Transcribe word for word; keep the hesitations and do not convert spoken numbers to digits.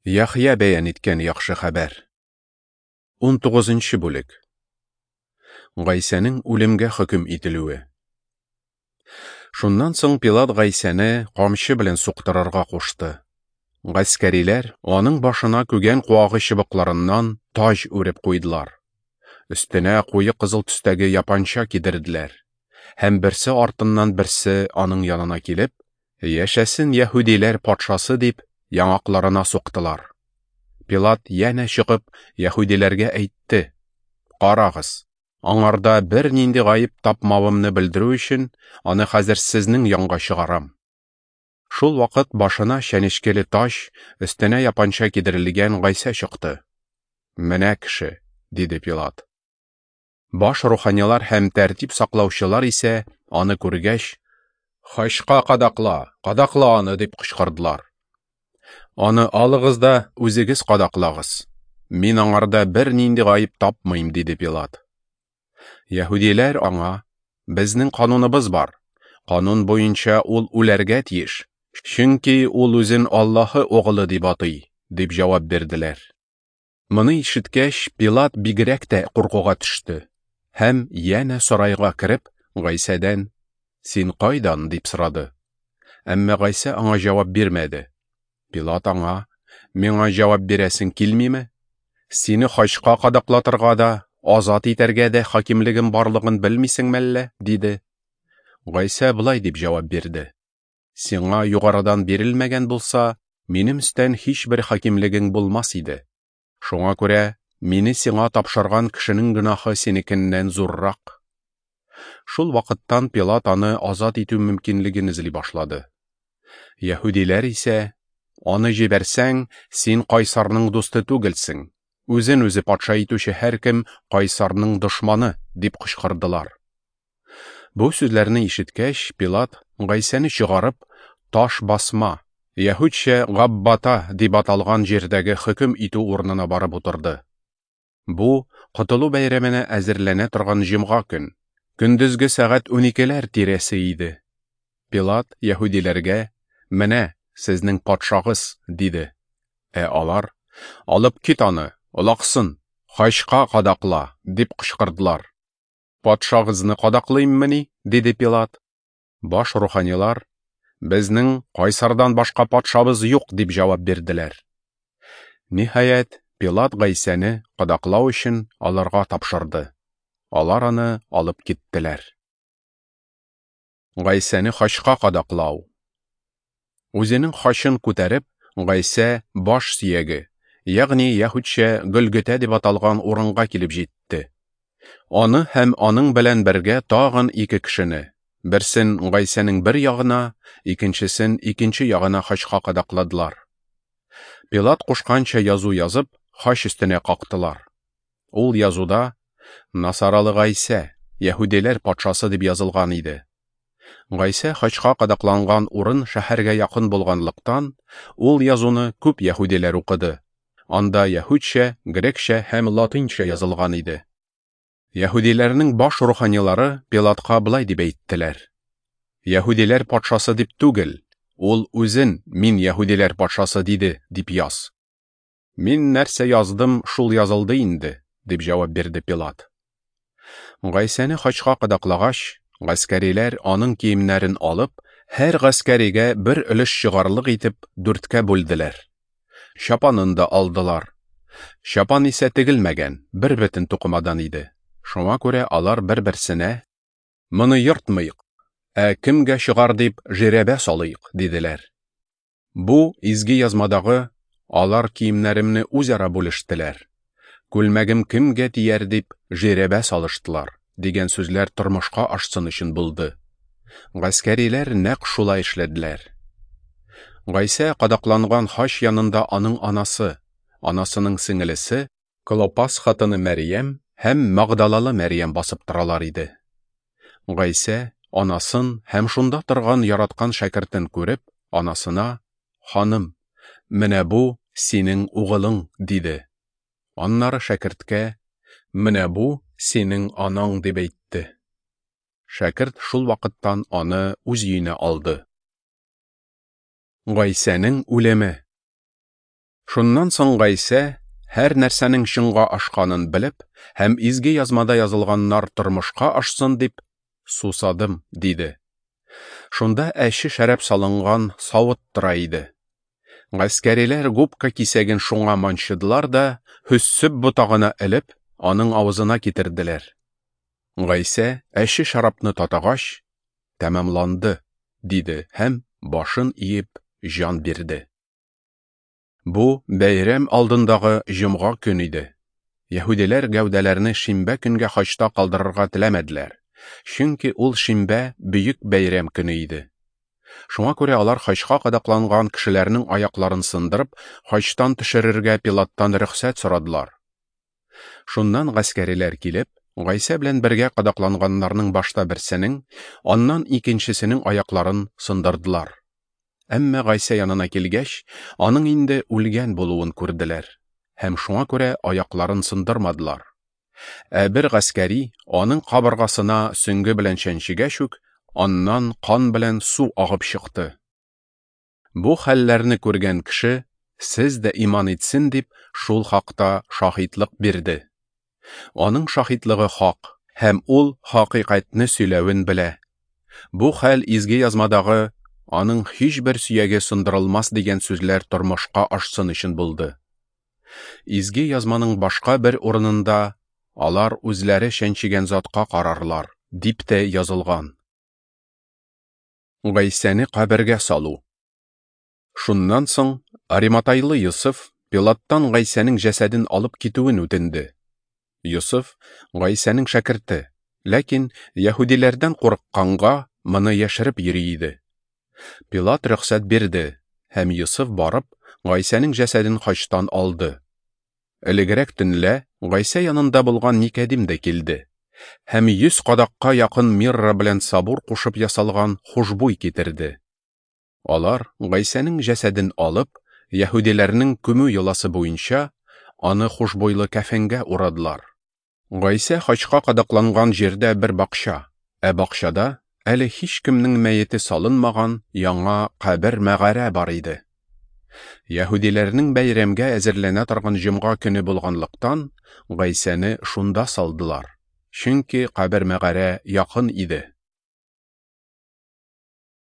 Яхъя бәян иткән яхшы хәбәр. Унтугызынчы бүлек. Гайсәнең үлемгә хөкем ителүе. Шуннан соң Пилат Гайсәне камчы белән суктырырга кушты. Гаскәриләр аның башына күгән куагы чыбыкларыннан таҗ үреп куйдылар. Өстенә куе кызыл төстәге япанча кидерделәр. Һәм берсе артыннан берсе аның янына килеп, "Яшәсен яһүдиләр патшасы" дип, яңакларына суктылар. Пилат янә чыгып, яһүдиләргә әйтте: "Карагыз, аңарда бернинди гаеп тапмавымны белдерү өчен, аны хәзер сезнең янга чыгарам." Шул вакыт башына чәнечкеле таҗ, өстенә япанча кидерелгән Гайсә чыкты. "Менә кеше", диде Пилат. Баш руханилар һәм тәртип саклаучылар исә аны күргәч, "Хачка кадакла, кадакла аны" дип кычкырдылар. "Аны алыгыз да үзегез кадаклагыз. Мин аңарда бернинди гаеп тапмыйм", диде Пилат. Яһүдиләр аңа: "Безнең кануныбыз бар. Канун буенча ул үләргә тиеш, чөнки ул үзен Аллаһы угылы дип атый", дип җавап бирделәр. Моны ишеткәч, Пилат бигрәк тә куркуга төште һәм янә сарайга кереп, Гайсәдән: "Син кайдан?" дип сорады. Әмма Гайсә аңа җавап бирмәде. Пилат аңа: "Миңа җавап бирәсең килмиме? Сине хачка кадаклатырга да, азат итәргә дә хакимлегем барлыгын белмисеңме әллә?" диде. Гайсә болай дип җавап бирде: "Сиңа югарыдан бирелмәгән булса, минем өстән һичбер хакимлегең булмас иде. Шуңа күрә мине сиңа тапшырган кешенең гөнаһы синекеннән зуррак." Шул вакыттан Пилат аны азат итү мөмкинлеген эзли башлады. Яһүдиләр исә: "Аны җибәрсәң, син кайсарның дусты түгелсең. Үзен үзе патша итүче һәркем кайсарның дошманы", дип кычкырдылар. Бу сүзләрне ишеткәч, Пилат Гайсәне чыгарып, таш басма, яһүдчә Габбата дип аталган җирдәге хөкем итү урынына барып утырды. Бу Котылу бәйрәменә әзерләнә торган җомга көн, көндезге сәгать уникеләр тирәсе иде. Пилат яһүдиләргә: "Менә сезнең патшагыз", диде. Ә алар: "Алып кит аны, олаксын, хачка кадакла", дип кычкырдылар. "Патшагызны кадаклыйммыни?" диде Пилат. Баш руханилар: "Безнең кайсардан башка патшабыз юк", дип җавап бирделәр. Ниһаять, Пилат Гайсәне кадаклау өчен аларга тапшырды. Алар аны алып киттеләр. Гайсәне хачка кадаклау. Үзенең хачын күтәреп, Гайсә баш сөяге, ягъни яһүдчә Гөлгөтә дип аталган урынга килеп җитте. Аны һәм аның белән бергә тагын ике кешене, берсен Гайсәнең бер ягына, икенчесен икенче ягына хачка кадакладылар. Пилат кушканча язу язып, хач өстенә кактылар. Ул язуда "Насаралы Гайсә, яһүдиләр патшасы" дип язылган иде. Гайсә хачка кадакланган урын шәһәргә якын булганлыктан, ул язуны күп яһүдиләр укыды. Анда яһүдчә, грекчә һәм латинча язылган иде. Яһүдиләрнең баш руханилары Пилатка болай дип әйттеләр: "Яһүдиләр патшасы дип түгел, ул үзен "Мин яһүдиләр патшасы" диде" дип яз. "Мин нәрсә яздым, шул язылды инде", дип җавап бирде Пилат. Гайсәне хачка кадаклагач, гаскәриләр аның киемнәрен алып, һәр гаскәригә бер өлеш чыгарлык итеп дүрткә бүлделәр. Чапанын да алдылар. Чапан исә тегелмәгән, бер бөтен тукымадан иде. Шуңа күрә алар бер-берсенә: "Моны йортмыйк, ә кемгә чыгар дип жирәбә салыйк", диделәр. Бу изге язмадагы "Алар киемнәремне үзара бүлештеләр, күлмәгем кемгә тияр дип жирәбә салыштылар" дигән сүзләр тормышка ашсын өчен булды. Гаскәриләр нәкъ шулай эшләделәр. Гайсә кадакланган хач янында аның анасы, анасының сеңелесе, Клопас хатыны Мәрьям һәм Магдалалы Мәрьям басып торалар иде. Гайсә анасын һәм шунда торган яраткан шәкертен күреп, анасына: "Ханым, менә бу синең угылың", диде. Аннары шәкерткә: "Менә бу синең анаң", дип әйтте. Шәкерт шул вакыттан аны үз өенә алды. Гайсәнең үлеме. Шуннан соң Гайсә, һәр нәрсәнең чынга ашканын белеп һәм Изге Язмада язылганнар тормышка ашсын дип, "Сусадым", диде. Шунда әче шәраб салынган савыт тора иде. Гаскәриләр губка кисәген шуңа манчыдылар да, һөссөп ботагына элеп, аның авызына китерделәр. Гайсә әче шәрабны татыгач, "Тәмамланды", диде һәм башын иеп җан бирде. Бу бәйрәм алдындагы җомга көн иде. Яһүдиләр гәүдәләрне шимбә көнгә хачта калдырырга теләмәделәр, чөнки ул шимбә бөек бәйрәм көне иде. Шуңа күрә алар хачка кадакланган кешеләрнең аякларын сындырып, хачтан төшерергә Пилаттан рөхсәт сорадылар. Шуннан гаскәриләр килеп, Гайсә белән бергә кадакланганнарның башта берсенең, аннан икенчесенең аякларын сындырдылар. Әмма Гайсә янына килгәч, аның инде үлгән булуын күрделәр һәм шуңа күрә аякларын сындырмадылар. Ә бер гаскәри аның кабыргасына сөңге белән чәнчегәч үк, аннан кан белән су агып чыкты. Бу хәлләрне күргән кеше, сез дә иман итсен дип, шул хакта шаһитлык бирде. Аның шаһитлыгы хак, һәм ул хакыйкатьне сөйләвен белә. Бу хәл Изге Язмадагы аның һичбер сөяге сындырылмас дигән сүзләр тормышка ашсын өчен булды. Изге Язманың башка бер урынында алар үзләре чәнчегән затка карарлар, дип тә язылган. Гайсәне кабергә салу. Шуннан соң Ариматайлы Йосыф Пилаттан Гайсәнең җәсәден алып китүен үтенде. Йосыф Гайсәнең шәкерте, ләкин яһүдиләрдән курыкканга моны яшереп йөри иде. Пилат рөхсәт бирде, һәм Йосыф барып Гайсәнең җәсәден хачтан алды. Элегрәк төнлә Гайсә янында булган Никодим дә килде һәм йөз кадакка якын мирра белән сабур кушып ясалган хушбуй китерде. Алар Гайсәнең җәсәден алып, яһүдиләрнең күмү йоласы буенча аны хушбуйлы кәфенгә урадылар. Гайсә хачка кадакланган җирдә бер бакча, ә бакчада әле һичкемнең мәете салынмаган яңа кабер-мәгарә бар иде. Яһүдиләрнең бәйрәмгә әзерләнә торган җомга көне булганлыктан, Гайсәне шунда салдылар, чөнки кабер-мәгарә якын иде.